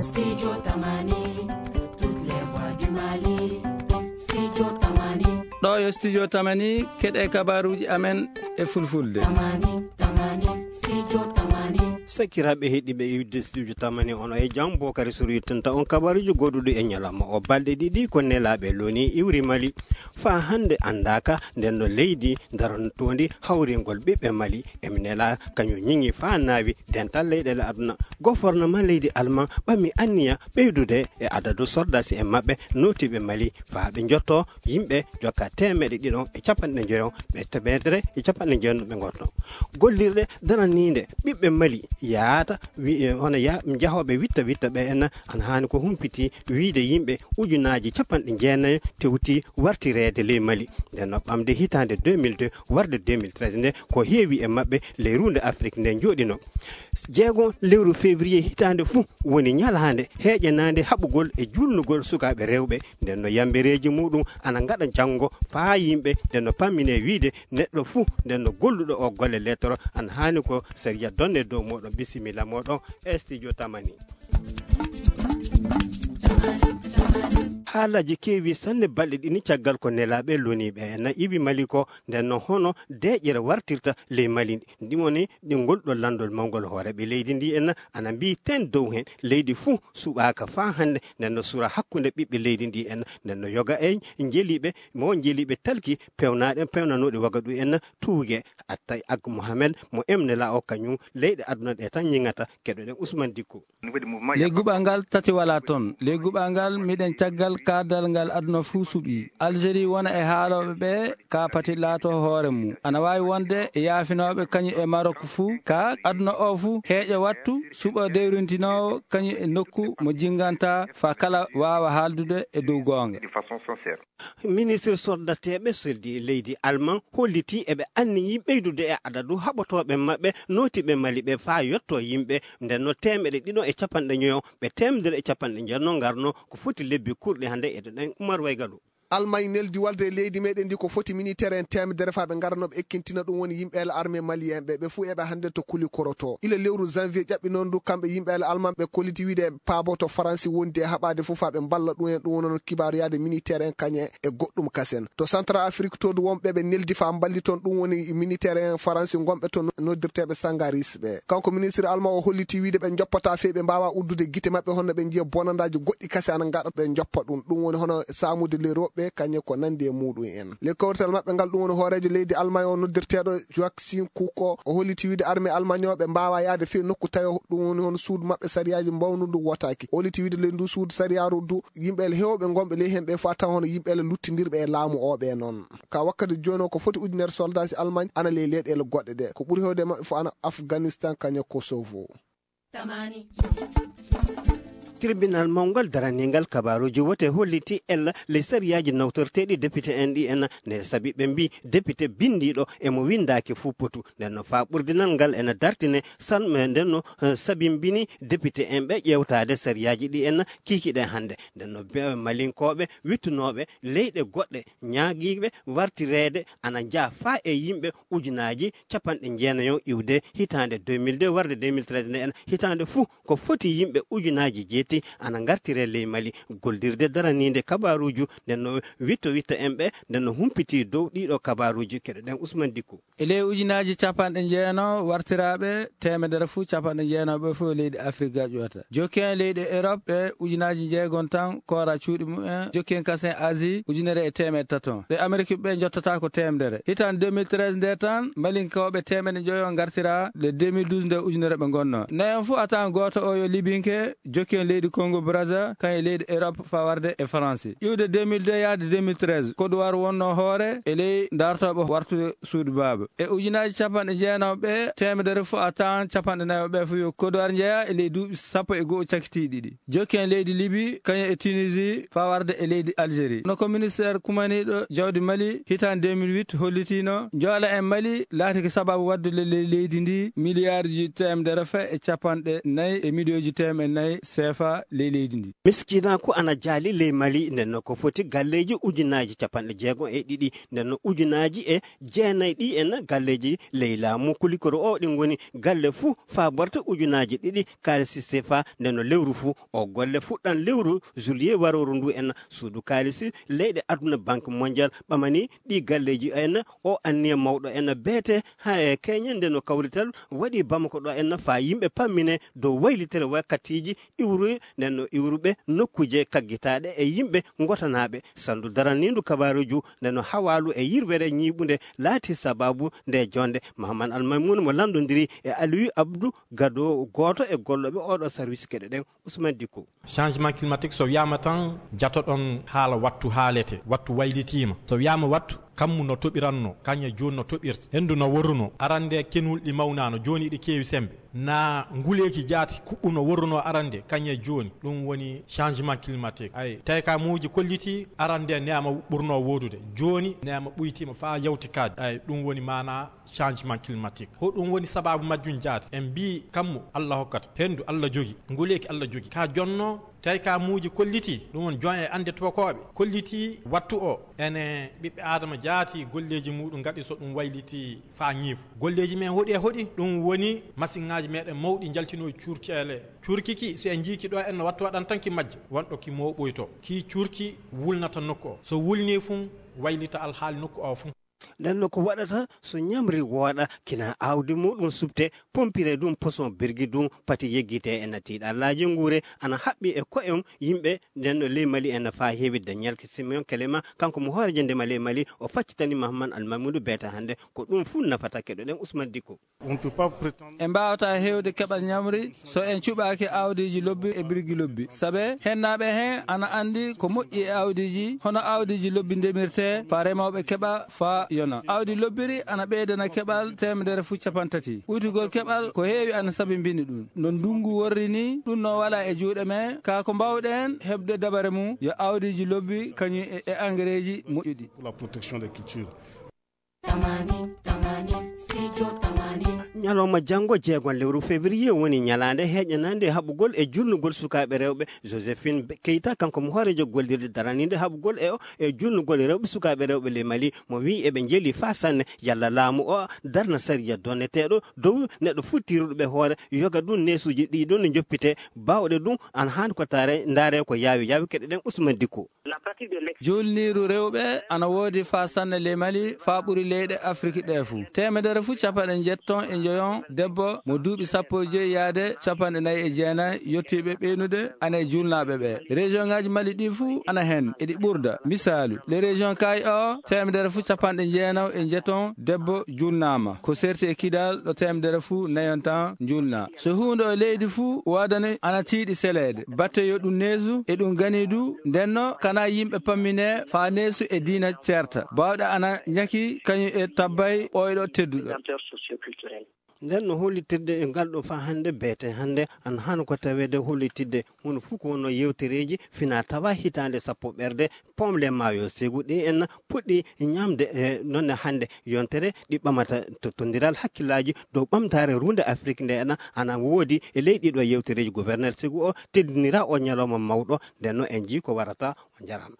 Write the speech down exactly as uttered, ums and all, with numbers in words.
Studio Tamani, toutes les voix du Mali. Studio Tamani. Ɗo yo Studio Tamani, keɗe kabaruji amen e fulfulde. Tamani, Tamani, Studio Tamani. Sakiraaɓe heɗiiɓe iwde Studio Tamani, on e jam, Bokari Suru yettinta on kabaruji goɗɗuɗi e ñalawma o. Balɗe ɗiɗi ko nelaaɓe loni iwri Mali. Faa hannde anndaaka nden no leydi darantondi hawringol ɓiɓɓe Mali. Emi nela kañum ñiŋi faa naawi dental leyɗeele aduna. Gofornama leydi Alman ɓami anniya ɓeydude e adadu sordaasi en maɓɓe nootiiɓe Mali faa ɓe njotto yimɓe jokka teemeɗe ɗiɗo e capanɗe njoyo, ɓe teemedere e capanɗe njoyo no ɓe ngotno. Gollirɗe daraniinde ɓiɓɓe Mali yaata wi-, e, hono ya-, jahooɓe witta witta ɓe en ana haani ko humpiti wiide yimɓe ujunaaji capanɗe jeenayo tewti wartireede ley Mali. Nden no ɓamde hitaande deux mille deux warde deux mille treize nde ko heewi e maɓɓe ley ruunde Afrik nde jooɗino. Jeego lewru février hitaande fuu woni ñalaande heeƴanaande haɓugol e juulnugol sukaaɓe rewɓe. Nden no yambereeji muɗum ana ngaɗa janngo faa yimɓe. Nden no pammine wiide neɗɗo fuu nden no golluɗo o golle lettoro ana haani ko sariya donne dow moɗon. Bisimilla moɗon e Studio Tamani. Haalaaji keewi sanne balɗe ɗiɗi caggal ko nelaaɓe loniiɓe en iwi Mali ko. Nden no hono deeƴere wartirta ley Mali ndi woni ɗi ngol ɗo lanndol mawngol hooreeɓe leydi ndi en ana mbiyi ten dow heen. Leydi fuu suɓaaka faa hannde nden no sura hakkunde ɓiɓɓe leydi ndi en. Nden no yoga e njeliiɓe mo njeliiɓe talki pewnaaɗe pewnanooɗe Wagaɗu en tuuge. Attay Ag Mohamed mo emnela o kañum leyɗe aduna ɗe tan ñiŋata. Keɗoɗen Ousmane Dikko. Ley guɓal ngal tati walaa toon. Ley guɓal ngal miɗen caggal kaadal ngal aduna fuu suɓii. Algérie wona e haalooɓe ɓe ka pati laato hoore mum. Ana waawi wonde e yaafinooɓe kañum e Maroc fuu. Ka aduna o fuu heeƴa wattu suɓa dewrintinoowo kañum e nokku mo jinnganta faa kala waawa haaldude e dow goonga. Ministre sordateeɓe soldi e leydi Alman hollitii eɓe anniyii ɓeydude e adadu haɓotooɓe maɓɓe nootiiɓe Mali ɓe faa yotto yimɓe nden no teemeɗe ɗiɗo e capanɗe njoyo ɓe teemedere e capanɗe njoyo no ngarno ko foti lebbi kurɗi hannde. Eɗen ɗen Umar Waygalu. Almañ neldi walde e leydi meɗen ndi ko foti militaire en teemedere faa ɓe ngarano ɓe ekkintina ɗum woni yimɓe el armée malien ɓe, ɓe fuu eɓe hannde to kuli koroto. Ila lewru janvier ƴaɓɓi noon ndu kamɓe yimɓe el Almañ ɓe kolliti wiide eɓe paabo to Faransi wondi e haɓaade fof faa ɓe mballa ɗum en, ɗum woni noon kibaaru yaade militaire en kañe e goɗɗum kasen. To Central Afrique to du wonɓe ɓe neldi faa mballi toon ɗum woni militaire en Faransi ngonɓe to noddirteeɓe Sangaris ɓe. Kanko ministre Almañ o holliti wiide ɓe njoppataa fey ɓe mbaawaa uddude gite maɓɓe hono ɓe njiya bonandaaji goɗɗi kase ana ngaɗa ɓe njoppa ɗum. Ɗum woni hono saamude le roɓɓe kañe ko nandi e muɗum en. Le kawrital maɓɓe ngal ɗum woni hooreejo leydi Almañ o noddirteeɗo Joachim Kuko o holliti wiide armée almañooɓe mbaawaa yaade fey nokku tayo ɗum woni hono suudu maɓɓe sariyaaji mbawndu ndu wotaaki. O holliti wiide ley ndu suudu sariyaaru du yimɓe ele heewɓe ngonɓe ley heen ɓe faa taw hono yimɓe ele luttindirɓe e laamu o ɓe noon. Ka wakkati jooni o ko foti ujunere soldaaji Almañ ana ley leyɗeele goɗɗe ɗe. Ko ɓuri heewde e maɓɓe fof ana Afganistan kañe Kosovo. Tribunal mawngal daraniingal kabaaruuji wote holliti ella ley sariyaaji nawtorteeɗi depite en ɗi en ne sabi ɓe mbi depite binndiiɗo e mo winndaaki fuu potu. Nden no faa ɓurdinal ngal ena dartine salme nden no eh, sabimbini depite en ɓe ƴeewtaade sariyaaji ɗi en kiikiɗe hannde. Nden no be- malinkooɓe wittunooɓe leyɗe goɗɗe ñaagiiɓe wartireede ana njaa faa e yimɓe ujunaaji capanɗe jeenayo iwde hitaande deux mille deux warde deux mille treize nde en hitaande fuu ko foti yimɓe ujunaaji jeeti ana ngartire ley Mali. Gollirde daraniinde kabaaruuju nden no witto witto en ɓe nden no humpiti dow ɗiɗo kabaaruuji. Keɗoɗen Ousmane Dikko. E ley ujunaaji capanɗe jeenayo wartiraaɓe teemedere fuu capanɗe jeenayo ɓe fof leydi Afrik gaƴoota. Jokki en leyɗe Europe ɓe ujunaaji jeegom tan koora cuuɗi mumen. Jokki en kasen Asie ujunere e teemedde tato. Ɓe Amerik ɓe njottata ko teemedere. Hitaande deux mille treize nde tan malinkooɓe teemedde njoyo ngartira le deux mille douze nde ujunere ɓe ngonno. Nayon fuu a tawan gooto o yo libinke. Jokki en leydi Congo Brazza kan e leydi Europe faa warde e France. Iwde deux mille deux yaade deux mille treize Côte d'Ivoire wonno hoore e ley dartooɓe wartude suudu baaba. E ujunaaji capanɗe jeenayo ɓe teemedere fuu a tawan capanɗe nayo ɓe fuu yo Côte d'Ivoire njeya e ley duuɓi sappo e go'o cakiti ɗiɗi. Jokki en leydi Libi kañum e Tunisie faa warde e leydi Algérie. No ko ministère kumaniiɗo jawdi Mali hitaande deux mille huit hollitiino, njola en Mali laatike sababu waddude ley leydi ndi miliyaarji teemedere faa e capanɗe nayi e miliyonji teemedde nayi seefa. ley leydi ndi. Miskinaaku ana jaali ley Mali, nden no ko foti galleeji ujunaaji capanɗe jeegom e ɗiɗi, nden no ujunaaji e jeenayi ɗi en galleeji ley laamu kulikoro o, ɗin ngoni galle fuu faaborta ujunaaji ɗiɗi kaalisi sefa, nden no lewru fuu. O golle fuɗɗan lewru juillet warooru ndu en. Suudu kaalisi leyɗe aduna, Banque Mondiale, ɓamani ɗi galleeji en o anniya mawɗo en beete ha e keñe, nden no kawrital waɗi Bamako ɗo en faa yimɓe pammine dow waylitere wakkatiiji iwruɓe, nden no iwruɓe nokkuuje kaggitaaɗe e yimɓe ngotanaaɓe. Sandu daraniindu kabaaruuju, nden no hawaalu e yirwere ñiiɓunde laati sabaabu nde jonde. Mahaman Almaymun mo lanndondiri e Aliyu Abdu Gado, gooto e gollooɓe oɗo sarwis keɗe ɗen, Usman Dikko. Changement climatique, so wiyaama tan, jatoɗon haala wattu haalete, wattu waylitiima. So wiyaama wattu, kammu no toɓiranno, kañum e jooni no toɓirta. Henndu no worruno, arande kenul ɗi mawnaano, jooni ɗi keewi sembe. Na nguleeki jaati kuɓɓuno worruno arande, kañum e jooni. Ɗum woni changement climatique. Ay, tawi ka muuji kolliti, arande neema ɓurno woodude. Jooni neema ɓuytiima faa yawti kaadi. Ay, ɗum woni maanaa changement climatique. Hoɗum woni sabaabu majjum jaati? En mbii kammu Allah hokkata, henndu Allah jogi, nguleeki Allah jogi. Ka jonno, tawi ka muuji kolliti, ɗum woni jon e annde tubakooɓe, kolliti wattu o, ene ɓiɓɓe Aadama jaati golleeji muuɗum ngaɗi so ɗum wayliti faa ñiifu. Golleeji men hoɗi e hoɗi, ɗum woni masiŋaaji meɗen mawɗi njaltinooji cuurkeele. Cuurki ki, so en njiiki ɗo en no wattu waɗan tan ki majja, wonɗo ki mooɓoyto. Ki cuurki wulnata nokku o. So wulnii fun, waylita alhaali nokku o fun. Nden no ko waɗata so ñamri wooɗa, kina awdi muɗum subte, pompire ɗum, poson birgi ɗum, pati yeggite e natiiɗa laaji nguure, ana haɓɓi e ko'e yimɓe, nden no ley Mali en faa heewidde. Ñalki Simeon Kelema, kanko mo hooreejo ndema ley Mali, o faccitani Mahaman Almamudu Beeta hannde, ko ɗum fuu nafata keɗoɗen Usman Dikko. On peut pas prétendre. En mbaawata heewde keɓal ñamri so en cuɓaaki awdiiji lobbi e birgi lobbi. Sabe hennaaɓe heen ana anndi ko moƴƴi e awdiiji, hono awdiiji lobbi ndemirtee, faa remooɓe keɓa faa yona. Awdi lobbiri ana ɓeydana keɓal teemedere fuu capantati. Ɓuytugol keɓal ko heewi ana sabimbini ɗum. No ndunngu worri nii, ɗum no wala e juuɗe men. Kaa ko mbaawɗen heɓde dabare mum, yo awdiiji lobbi kañum e, e angereeji moƴƴuɗi. Pour la protection des cultures. Tamani, tamani, studio tamani. Ñalawma janngo, jeegon lewru février, woni ñalaande heeƴanaande haɓugol e julnugol sukaaɓe rewɓe. Joséphine Keita, kanko mo hooreejo gollirde daraniinde haɓugol e o, e julnugol rewɓe sukaaɓe rewɓe ley Mali, mo wi'i eɓe njeli faa sanne yalla laamu o darna sariya donneteeɗo dow neɗɗo fuu tiiruɗo ɓe hoore, yoga ɗum neesuuji ɗi ɗon no njoppitee, baawɗe ɗum ana haani ko taare, ndaare ko yaawi yaawi keɗoɗen Usman Dikko. Julniiru rewɓe ana woodi faa sanne ley Mali, faa ɓuri leyɗe Afrik ɗe fuu. Teemedere fuu capanɗe njetton e njoyon debbo mo duuɓi sappo e joy yaade capanɗe nayi e jeenayi yottiiɓe ɓeynude ana e julnaaɓe ɓe. Région ŋaaji Mali ɗi fuu ana hen, eɗi ɓurda. Misaalu, le région Kaayi o, teemedere fuu capanɗe jeenaw e njeton debbo julnaama. Ko serti e Kidal ɗo teemedere fuu nayon tan julnaa. So huunde o leydi fuu waadani ana tiiɗi seleede. Batte yo ɗum neesu e ɗum ganiidu, ndenno kana yimɓe pammine faa neesu e diina ceerta. Baawɗe ana ñaki kañum e tabbay ɓooyɗo tedduɗo. Nden no hollitirde e ngal ɗo faa hannde, beete hannde ana hano ko taweede hollitidde hono fuu ko wonno yewtereeji fina tawa hitaande sappo ɓerde, Pom le Maayo Segu ɗi en puɗɗi ñamde e nonne hannde yontere ɗi ɓamata to tondiral hakkillaaji dow ɓamtaare runde Afrik nde ena ana woodi e ley ɗiɗo yewtereeji. Gouverneur Segu o teddinira o ñalawma mawɗo, nden no en jii ko warata. On jaraama.